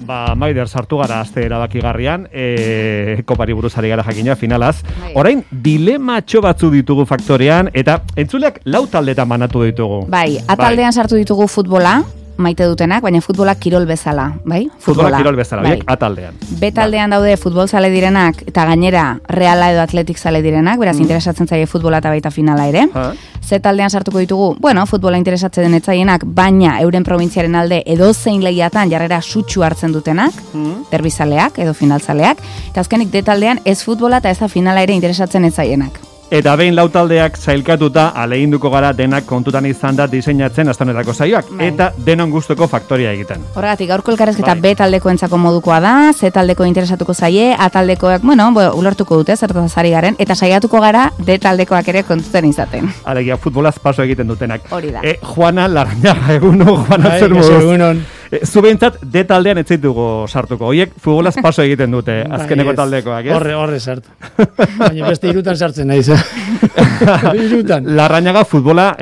Maider, sartu gara aste erabakigarrian, kopari buruzari gara jakina, finalaz. Orain, dilematxo batzu ditugu faktorean, eta entzuleak 4 taldetan banatu ditugu. Bai, ataldean sartu ditugu futbola, maite dutenak, baina futbola kirol bezala, bai? Futbola kirol bezala, bai. Ataldean. Betaldean daude futbol zale direnak, eta gainera reala edo atletik zale direnak, beraz interesatzen zaie futbola eta baita finala ere. Z taldean sartuko ditugu, futbola interesatzen den etzaienak, baina euren probintziaren alde edozein lehiatan jarrera sutsu hartzen dutenak, derbizaleak edo finalzaleak, eta azkenik D taldean ez futbola eta ez da finala ere interesatzen etzaienak. Eta behin 4 taldeak zailkatuta aleginduko gara denak kontutan izan da diseinatzen astanetako saioak, eta denon gustuko faktoria egiten. Horregatik, gaurko elkarrezketa B taldekoentzako modukoa da, Z taldeko interesatuko zaie, A taldekoak, ulertuko dute, zertaz ari garen, eta saiatuko gara D taldekoak ere kontutan izaten. Alegia, futbolaz paso egiten dutenak. Hori da. Juana Larrañaga, eguno, Juana zer moduz. Zu behintzat D taldean ez zaitugu sartuko. Oiek futbolaz paso egiten dute, azkeneko taldekoak, ez? Horre sartu. Baina beste 3 zirutan naiz. Larrañaga futbola,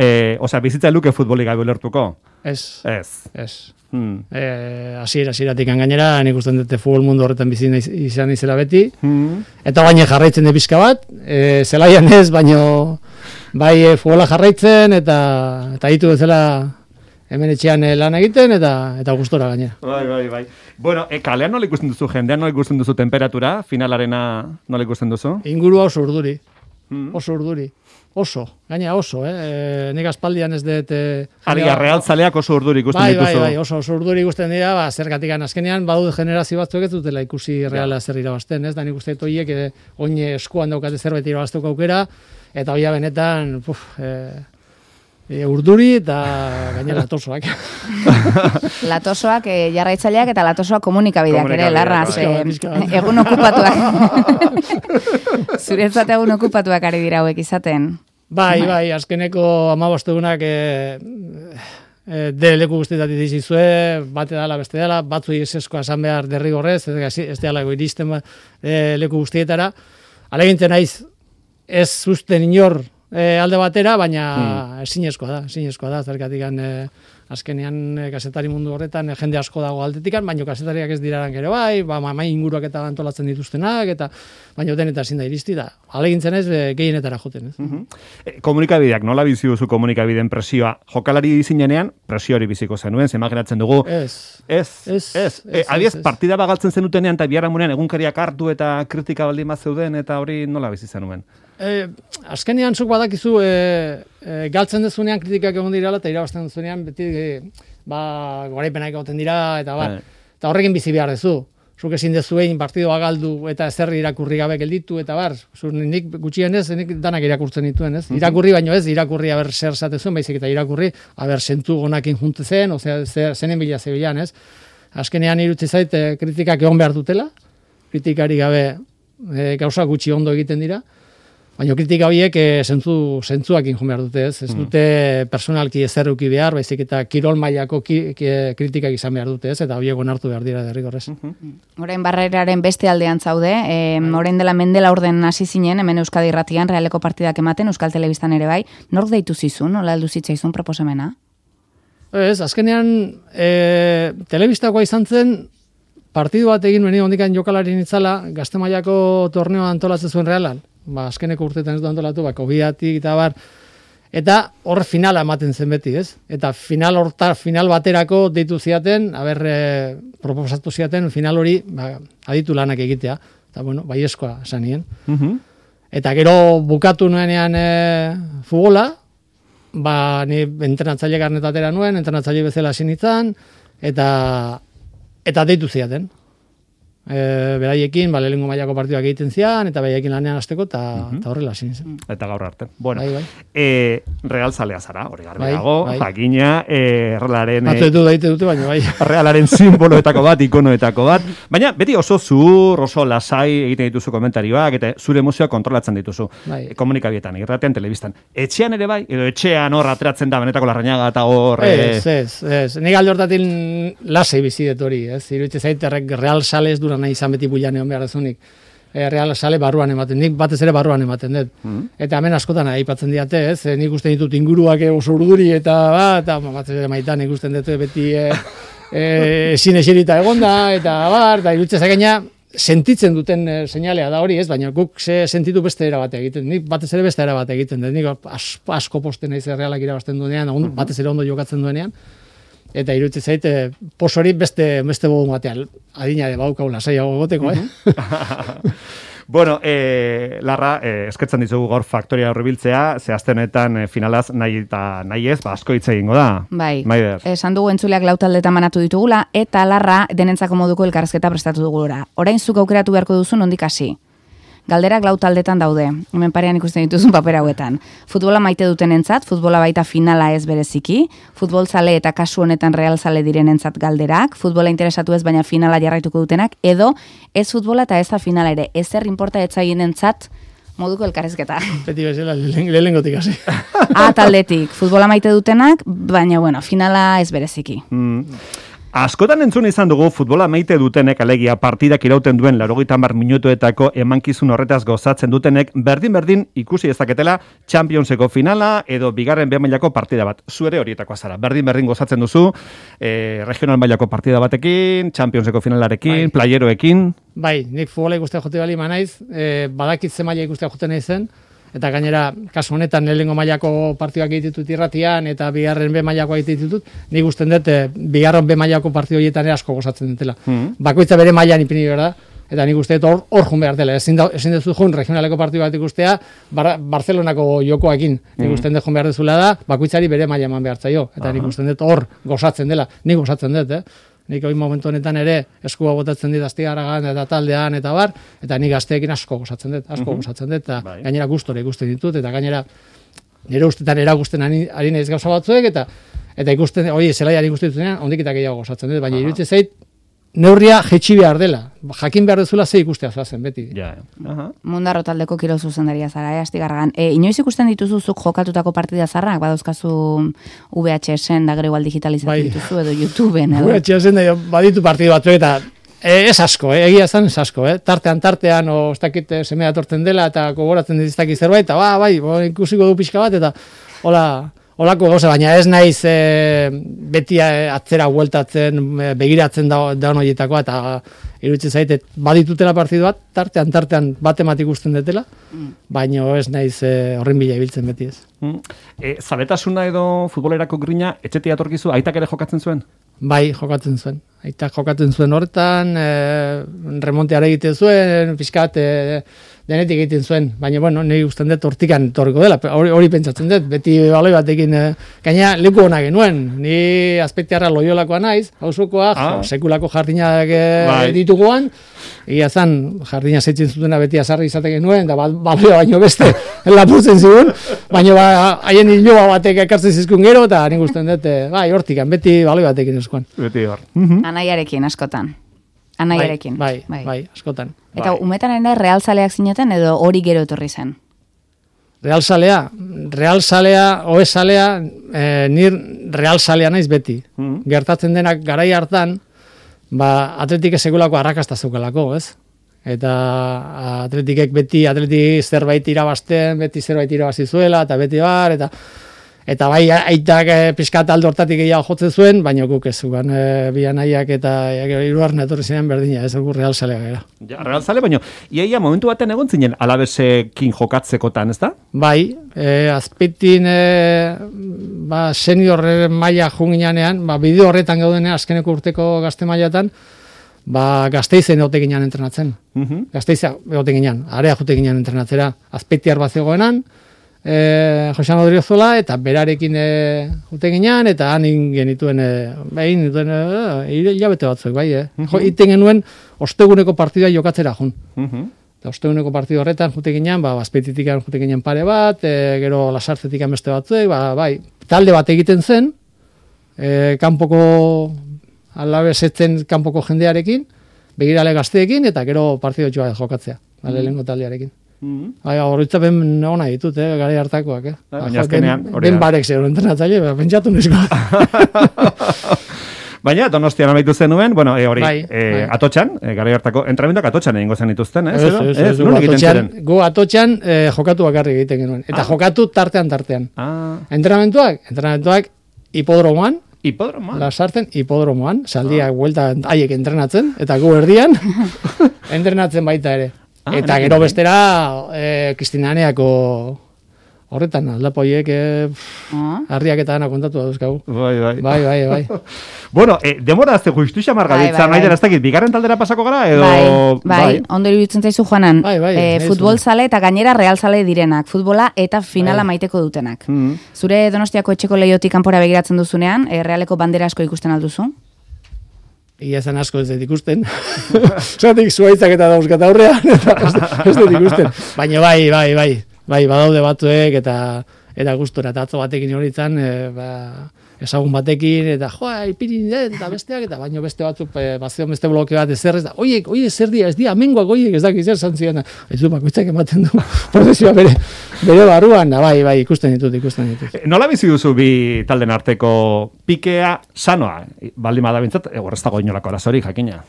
bizitza luke futbolik gabe ulertuko? Ez. Hasieratik gainera, nik usten dute futbol mundu horretan bizi izan izela beti, eta baina jarraitzen de pizka bat, zelaian ez, baino bai futbola jarraitzen, eta ditu bezala hemen etxean lan egiten, eta gustora gainera. Bai. Bueno, kalean nola ikusten duzu jendean, nola ikusten duzu temperatura, finalarena nola ikusten duzu? Ingurua oso urduri. Gaina oso, nik aspaldian ez dut... Realzaleak oso urduri ikusten dituzu. Bai, oso urduri ikusten dira, zergatik azkenean, badu generazio batzuk ez dutela ikusi Reala zer irabazten, ez? Da nik uste dut horiek, oin eskuan daukate zerbait irabaztuko aukera, eta hoia benetan, urduri eta gainera latosoak. Latosoak jarraitzaileak eta latosoak komunikabideak ere, larraz, egun okupatuak. Zuretzat egun okupatuak ari dira hauek izaten. Bai, azkeneko 15 egunak leku guztietatik dizizue, bate dala, beste dala, batzuei eseskoa esan behar derrigorrez, ez dela iristen leku guztietara. Alegintzen naiz, ez zuzten inor alde batera, baina ezinezkoa da, zergatik azkenean kazetari mundu horretan jende asko dago aldetikan, baina kazetariak ez diraran gero mai inguruak eta antolatzen dituztenak, baina den eta ezin da iristi da. Alegintzen ez, gehienetara joten. Komunikabideak, nola bizi duzu komunikabideen presioa? Jokalari zinenean, presio hori biziko zenuen, imaginatzen dugu. Adiez, partida bagaltzen zenutenean eta biharamunean egunkariak hartu eta kritika baldin bat zeuden, eta hori nola bizi zenuen? Azkenean zuk badakizu galtzen dezunean kritikak egon dirala eta irabazten dezunean beti goraipenak egoten dira eta horrekin bizi behar dezu. Zuk ezin dezuein partidoa galdu eta ezer irakurri gabe gelditu eta nik gutxienez nik danak irakurtzen dituen, ez? Irakurri baino ez, irakurri aber zer zatezuen, baizik eta irakurri aber zentzu gonakin junte zen, zenen bila zebilan, ez? Azkenean irutzi zait kritikak egon behar dutela, kritikari gabe gauza gutxi ondo egiten dira. Baina kritika horiek zentzuakin jo behar dute, ez? Ez dute personalki ezerruki behar, baizik eta kirol mailako kritikak izan behar dute, ez? Eta horiek onartu behar dira derrigorrez. Orain barreraren beste aldean zaude, orain dela mendela orden hasi zinen, hemen Euskadi Irratian, Realeko partidak ematen, Euskal Telebistan ere bai, nork deitu zizun, nola heldu zitzaizun proposamena? Ez, azkenean telebistakoa izan zen, partidu bat egin nuen ondikan jokalarien itzala, Gazte mailako torneoa antolatzen zuen Realan. Azkeneko urtetan ez du antolatu, COVID-atik eta eta hor finala ematen zen beti, ez? Eta final baterako deitu ziaten, proposatu ziaten final hori aditu lanak egitea. Eta baiezkoa zanien. Eta gero bukatu nuenean futbola, ni entrenatzaile karnetatera nuen, entrenatzaile bezala sinitzan, eta deitu ziaten. Beraiekin, lehenengo mailako partiduak egiten zian, eta beraiekin lanean hasteko, eta horrela zin zen. Eta gaur arte. Bueno, Real zalea zara, hori garbi dago, jakina, Realaren... Batzuetu daite dute, baina bai. Realaren simboloetako bat, ikonoetako bat, baina beti oso zuhur, oso lasai egiten dituzu komentarioak, eta zure emozioa kontrolatzen dituzu. Komunikabietan, irratean, telebistan. Etxean ere bai, edo etxean hor ateratzen da benetako Larrañaga eta hor... Ez. Nik alde hortatik lasei bizidet hori, ez? Iruditzen zait, Real Sales dura nahi izan beti builan egon behar dezunik. Real Sale barruan ematen, nik batez ere barruan ematen dut. Eta hemen askotan aipatzen diate, ez? Nik usten ditut inguruak oso urduri eta batez ere maitan ikusten dut beti ezin eserita egonda, eta iruditzen zagaina, sentitzen duten seinalea da hori, ez, baina guk sentitu beste era bat egiten, nik batez ere beste era bat egiten, nik asko posten naiz Realak irabazten duenean, batez ere ondo jokatzen duenean, eta iruditzen zait, pos hori beste modu batean, adina de baukau lasaiago goteko, Bueno, Larra, eskertzen dizugu gaur faktoria horribiltzea, ze aste honetan finalaz nahi ez, asko hitz egingo da. Bai, esan dugu entzuleak 4 taldetan banatu ditugula, eta Larra denentzako moduko elkarrezketa prestatu dugula. Orain zuk aukeratu beharko duzu nondik hasi. Galderak 4 taldetan daude, hemen parean ikusten dituzun paper hauetan. Futbola maite dutenentzat, futbola baita finala ez bereziki, futbol zale eta kasu honetan real zale direnentzat galderak, futbola interesatu ez baina finala jarraituko dutenak, edo ez futbola eta ez da finala ere, ezer inporta etzainentzat moduko elkarrezketa. Beti bezala, lehengotik hasi. Taldetik, futbola maite dutenak, baina finala ez bereziki. Askotan entzun izan dugu futbola maite dutenek, alegia partidak irauten duen 80 minutuetako emankizun horretaz gozatzen dutenek, berdin ikusi ezaketela Championseko finala edo bigarren B mailako partida bat. Zu ere horietakoa zara. Berdin gozatzen duzu, regional mailako partida batekin, Championseko finalarekin, playeroekin. Bai, nik futbola ikustea jote bali manaiz, badakit ze maila ikustea jote naizen, eta gainera, kasu honetan, lehenengo mailako partiduak egititut irratian, eta bigarren B mailakoa egititut, nik usten dut, bigarren B mailako partidu horietan asko gozatzen dutela. Bakoitza bere mailan ipini behar da, eta nik uste dut hor jun behar dela. Ezin duzu jun regionaleko partidu bat ikustea, Barcelonako jokoakin. Nik usten dut jun behar dezula da, bakoitzari bere maila eman behar zaio. Eta nik usten dut hor gozatzen dela. Nik gozatzen dut, Nik hori momentu honetan ere eskua botatzen dit Astigarragan eta taldean eta bar, eta nik gazteekin asko gozatzen dut, eta gainera gustore ikusten ditut, eta gainera nire ustetan eragusten ari naiz gauza batzuek, eta ikusten, zelaian ikusten dituzenean, ondik eta gehiago gozatzen dut, baina iruditzen zait, neurria jetxi behar dela, jakin behar dezula ze ikustea zoazen, beti. Mundarro taldeko kirol zuzendaria zara, Astigarragan. Inoiz ikusten dituzuzuk jokatutako partida zarrak, badauzkazu VHS-en da gero igual digitalizatu dituzu edo YouTubeen. VHS-en da baditu partidu batzu eta ez asko, egia zan ez asko, tartean, ez dakit semea torten dela eta gogoratzen diztaki zerbait, eta ikusiko du pixka bat, eta holako gauza, baina ez naiz beti atzera hueltatzen, begiratzen da horietakoa, eta iruditzen zaite, baditutela partidu bat, tartean bat emat ikusten dutela, baina ez naiz horren bila ibiltzen beti ez. Zaletasuna edo futbolerako grina, etxetik atorkizu, aitak ere jokatzen zuen? Bai, jokatzen zuen. Aitak jokatzen zuen horretan, remonteare egiten zuen, pixkat denetik egiten zuen, baina, niri usten dut hortikan torriko dela, hori pentsatzen dut, beti baloi batekin, gaina leku hona genuen, ni azpetiarra Loiolakoa naiz, hausukoa, sekulako jardinak dituguan, egia zan, jardina zeitzen zutena beti azarri izate genuen, eta baloia baino beste lapurtzen zigun, baina haien hiloa batek ekartzen zizkun gero, eta nik usten dut, hortikan, beti baloi batekin eskuan. Beti hor. Anaiarekin, askotan. Anaiarekin. Bai, askotan. Eta umetan ere realzaleak zineten edo hori gero etorri zen? Realzalea, nir realzalea naiz beti. Gertatzen denak garai hartan, atletik segulako arrakasta zeukalako, ez? Eta atletikek beti, atletik zerbait irabazten, beti zerbait irabazizuela, eta beti bar, eta bai, aitak pixkat aldo hortatik gehiago jotzen zuen, baina guk ez zugan bian aiak eta iruarren etorri zinean berdina, ez dugu realzalea gara. Ja, realzale, baina iaia momentu baten egon zinen alabesekin jokatzekotan, ez da? Bai, azpitin senior maila junginean, bideo horretan gaudenean, azkeneko urteko gazte mailatan, Gasteizen egote ginean entrenatzen. Gasteiza egote ginean, area jute ginean entrenatzera, azpitiar bat zegoenan, Josean Odriozola, eta berarekin jute ginean, eta han genituen, hilabete batzuek, bai, iten genuen osteguneko partidua jokatzera jun. Eta osteguneko partidu horretan jute ginean, azpeititik jute ginean pare bat, gero lasartzetik beste batzuek, bai, talde bat egiten zen, kanpoko alabesetzen kanpoko jendearekin, begirale gazteekin, eta gero partidu jokatzea, lehengo taldearekin. Horritzapen hona ditut, gara hartakoak. Baina azkenean, hori da. Ben barek zero entrenatzaile, pentsatu nizko. Baina, Donostian amaitu zenuen, Atotxan, gara hartako, entrenamenduak Atotxan egingo zen dituzten, ez? Gu Atotxan jokatu bakarrik egiten genuen. Eta jokatu tartean. Entrenamenduak hipodromoan, Hipodromoan? Lasarten hipodromoan, saldiak buelta haiek entrenatzen, eta gu erdian entrenatzen baita ere. Eta gero bestera, Kristinaneako horretan, aldapoiek harriak eta dana kontatu dauzkagu. Bai. Bueno, demora azte justu xamar gabiltza, nahi dara ez dakit, bigarren taldera pasako gara, edo... Bai, ondo iruditzen zaizu Juanan, futbol zale eta gainera real zale direnak, futbola eta finala maiteko dutenak. Zure Donostiako etxeko lehiotik kanpora begiratzen duzunean, realeko bandera asko ikusten alduzu? Ia zen asko ez dut ikusten. Zatik zuaitzak eta dauzkat aurrean, eta ez dut ikusten. Baina bai, badaude batzuek eta gustora, eta atzo batekin horitzen, ezagun batekin, eta ipirin eta besteak, eta baino beste batzuk, bazion beste bloke bat ezer, ez da, oiek zer dia, ez dia, amengoak oiek, ez dakit zer zantzian, ez du, bakoitzak ematen du, prozesioa bere barruan, bai, ikusten ditut. Nola bizi duzu bi talden arteko pikea sanoa, baldin badabintzat, horrez dago inolako arazorik, jakina?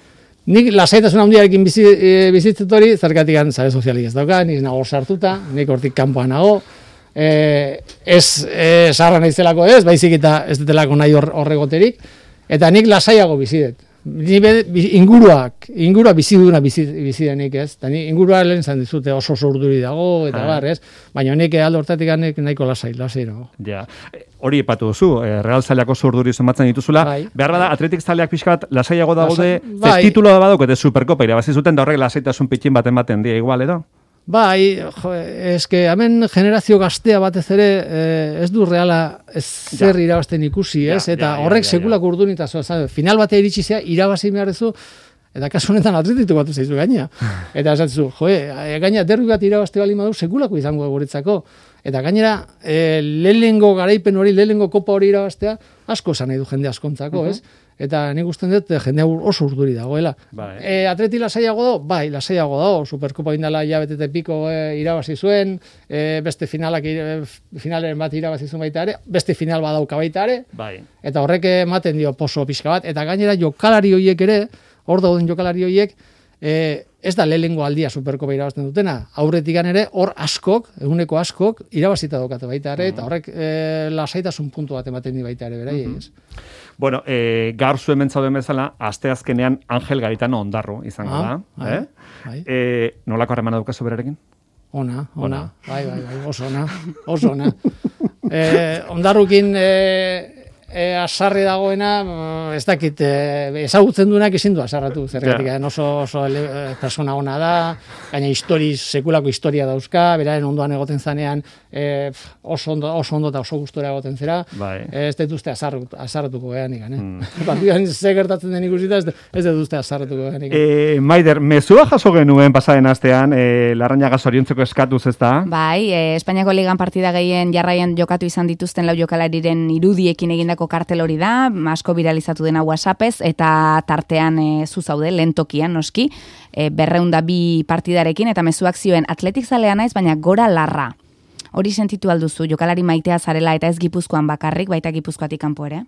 Nik lasaitasun handiarekin bizitzet hori, zergatik sare sozialik ez dauka, nik nago sartuta, nik hortik kanpoan nago, ez sarra naizelako ez, baizik eta ez detelako nahi horregoterik, eta nik lasaiago bizidet. Ingurua biziduna bizidenik ez, eta nik ingurua lehen zan dizute oso urduri dago, eta ez, baina nik aldo hortatik nahiko lasai dago. Ja, hori epatu duzu, Real zaleako urduri somatzen dituzula, behar bada atletik zaleak pixka bat lasaiago daude, tituloa badauk eta Superkopa irabazi zuten, da horrek lasaitasun pitxin baten dia igual, edo? Bai, eske hemen generazio gaztea batez ere ez du Reala zer irabazten ikusi, ez? Eta horrek sekulako urdunitazoa, final batea iritsi zea, irabazi beharrezu, eta kasu honetan atletitu batu zaizu gaina. Eta esatzu, gaina derbi bat irabazte bali madu sekulako izango guretzako. Eta gainera, lehenengo garaipen hori, lehenengo kopa hori irabaztea, asko esan nahi du jende askontzako, ez? Eta nik usten dut jende oso urduri dagoela. Atleti lasaiago dago? Bai, lasaiago dago. Superkopa indala betete piko irabazi zuen, beste finaleren bat irabazi zuen baita ere, beste final badauka baita ere, eta horrek ematen dio poso pixka bat, eta gainera jokalari horiek ere, hor dauden jokalari horiek, ez da lehenengo aldia Superkopa irabazten dutena, aurretik ere hor askok, eguneko askok, irabazita daukate baita ere, eta horrek lasaitasun puntu bat ematen di baita ere, berai, ez? Bueno, gaur zuen mentzauden bezala, asteazkenean Angel Garitano Ondarru izango da. Nolako harremana daukazu berarekin? Ona. Bai, oso ona. Ondarrukin asarri dagoena, ez dakit, ezagutzen duenak ezin du asarratu, zergatik, oso persona ona da, gaina sekulako historia dauzka, beraren ondoan egoten zanean, oso ondo eta oso gustora egoten zera, ez dut uste asarratuko gehanik, partidan ze gertatzen den ikusita, ez dut uste asarratuko gehanik. Maider, mezua jaso genuen pasaren astean, Larrañaga zoriontzeko eskatuz, ez da? Bai, Espainiako ligan partida gehien jarraian jokatu izan dituzten lau jokalariren irudiekin egindako kartel hori da, asko viralizatu dena WhatsAppez, eta tartean zu zaude, lehen tokian, noski, 202 partidarekin, eta mezuak zioen atletik zalea naiz, baina gora larra. Hori sentitu alduzu, jokalari maitea zarela eta ez Gipuzkoan bakarrik, baita Gipuzkoatik kanpo ere?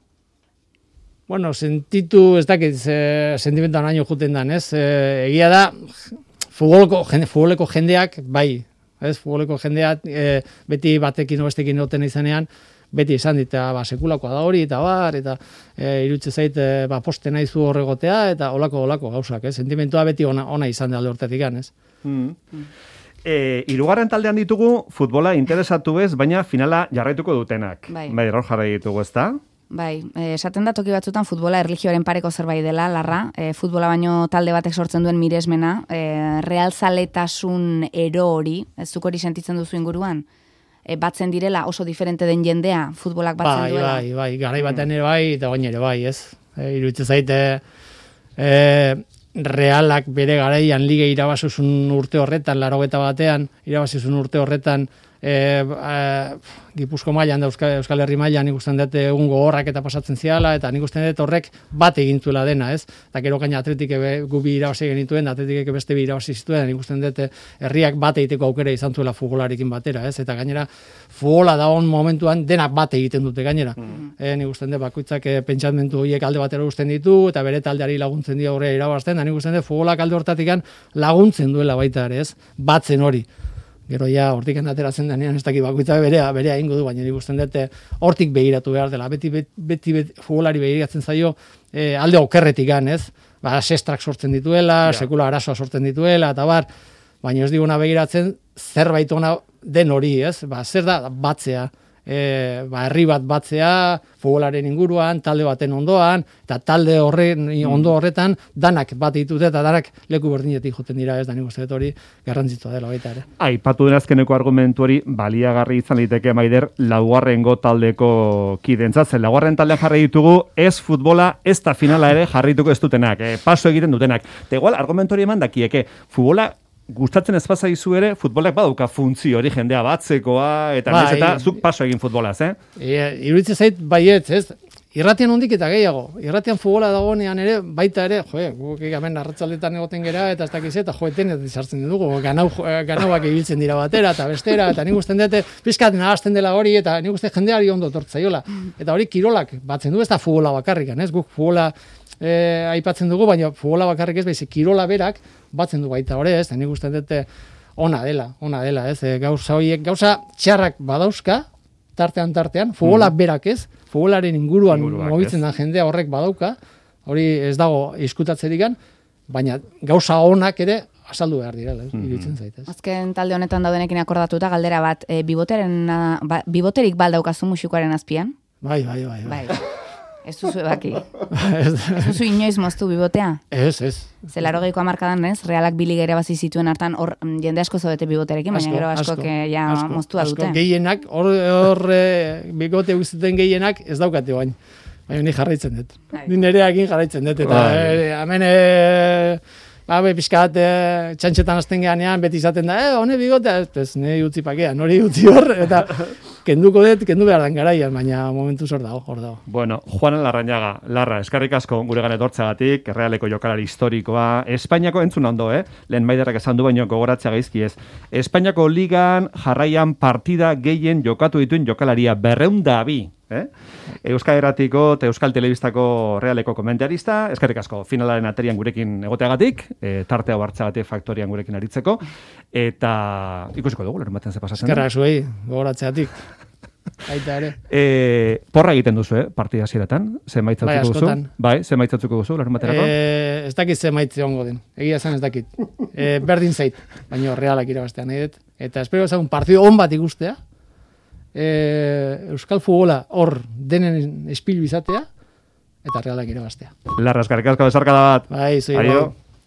Bueno, sentitu, ez dakit, sentimentuan haino juten dan, ez? Egia da, futboleko jendeak, bai, ez? Futboleko jendeak, beti batekin o bestekin noten izanean, beti izan dit, sekulakoa da hori, eta irutze zait, poste nahizu horregotea, eta olako gauzak, sentimentua beti ona izan da alde hortetik, ez? Hirugarren taldean ditugu, futbola interesatu ez, baina finala jarraituko dutenak. Bai, hor jarrai ditugu, ez da? Bai, esaten da toki batzutan futbola erlijioaren pareko zerbait dela, Larra, futbola baino talde batek sortzen duen miresmena, realzaletasun ero hori, zuk hori sentitzen duzu inguruan? Batzen direla oso diferente den jendea, futbolak batzen duela. Bai, garai batean ere bai, eta baina ere bai, ez? Iruditzen zaite, Realak bere garaian lige irabazuzun urte horretan, 80 batean, irabazuzun urte horretan, Gipuzko mailan da Euskal Herri mailan nik usten dut egun gogorrak eta pasatzen ziala, eta nik usten dut horrek bat egintzuela dena, ez? Eta gero gaina atletik gubi irabazi genituen, atletik beste bi irabazi zituen, nik usten dut herriak bat egiteko aukera izan zuela futbolarekin batera, ez? Eta gainera futbola da on momentuan denak bat egiten dute gainera. Nik usten dut bakoitzak pentsamendu horiek alde batera uzten ditu, eta bere taldeari laguntzen dio aurrera irabazten, da nik usten dut futbolak alde hortatik laguntzen duela baita ere, ez? Batzen hori. Gero ja hortik ateratzen denean ez dakit bakoitza berea egingo du, baina nik usten dut hortik begiratu behar dela. Beti futbolari begiratzen zaio alde okerretik ez? Sestrak sortzen dituela, sekula arazoa sortzen dituela, eta baina ez diguna begiratzen zerbait ona den hori, ez? Zer da batzea, herri bat batzea, futbolaren inguruan, talde baten ondoan, eta talde horren ondo horretan, danak bat ditute eta danak leku berdinetik joten dira, ez da nik uste dut hori garrantzitsua dela baita ere. Aipatu den azkeneko argumentu hori baliagarri izan liteke Maider laugarrengo taldeko kidentzat, zen laugarren taldean jarri ditugu, ez futbola, ez da finala ere jarrituko ez dutenak, paso egiten dutenak. Eta igual argumentu hori eman dakieke, futbola gustatzen ez bazaizu ere, futbolak badauka funtzio hori jendea batzekoa, eta nez eta zuk paso egin futbolaz, Iruditzen zait baietz, ez? Irratian hondik eta gehiago. Irratian futbola dagoenean ere, baita ere, guk hemen arratzaldetan egoten gera, eta ez dakiz, eta etenet izartzen dugu, ganauak ibiltzen dira batera, eta bestera, eta nik usten dute, pizkat nahazten dela hori, eta nik uste jendeari ondo tortzaiola. Eta hori kirolak batzen du, ez da futbola bakarrikan, ez? Guk futbola aipatzen dugu, baina futbola bakarrik ez, baizik kirola berak batzen du baita hori, ez? Nik uste dute ona dela, ez? Gauza txarrak badauzka, tartean, futbola berak ez, futbolaren inguruan mobitzen da jendea horrek badauka, hori ez dago izkutatzerik, baina gauza onak ere azaldu behar dira, iruditzen zaitez. Azken talde honetan daudenekin akordatuta galdera bat, biboterik baldaukazu musikoaren azpian? Bai. Ez duzu ebaki. Ez duzu inoiz moztu bibotea? Ez. Zelaro geiko amarkadan, ez? Realak biligere bazi zituen hartan, hor jende asko zodete biboterekin, baina gero asko moztua dute. Gehienak, hor bigote guzteten gehienak ez daukate bain. Baina ni jarraitzen dut. Ni nereakin jarraitzen dut. Eta hemen pixkat txantxetan azten geanean beti izaten da, hone bigotea, ez nahi utzi pakean, hori utzi hor, eta kendu behar dan garaian, baina momentu hor dago. Bueno, Juan Larrañaga, Larra, eskarrik asko gure gane etortzagatik, Realeko jokalari historikoa, Espainiako entzun ondo, lehen Maiderrak esan du baino gogoratzea gaizki ez. Espainiako ligan jarraian partida gehien jokatu dituen jokalaria 202. Euskal Herratiko eta Euskal Telebistako Realeko komentarista, eskerrik asko finalaren aterian gurekin egoteagatik, tartea hartzagatik faktorian gurekin aritzeko, eta ikusiko dugu, lehen baten ze pasatzen. Eskerrak zuei, gogoratzeatik. Aita ere. Porra egiten duzu, partida ziratan? Zenbaitzatzuko duzu? Bai, zenbaitzatzuko duzu, lehen baterako? Ez dakit zenbaitze ongo den. Egia esan ez dakit. Berdin zait, baina Realak irabaztea nahi dut. Eta espero ezagun partido on bat ikustea, Euskal futbola hor denen espilu izatea, eta Realak irabaztea. Larra, eskarrik asko besarkada bat. Bai, zui.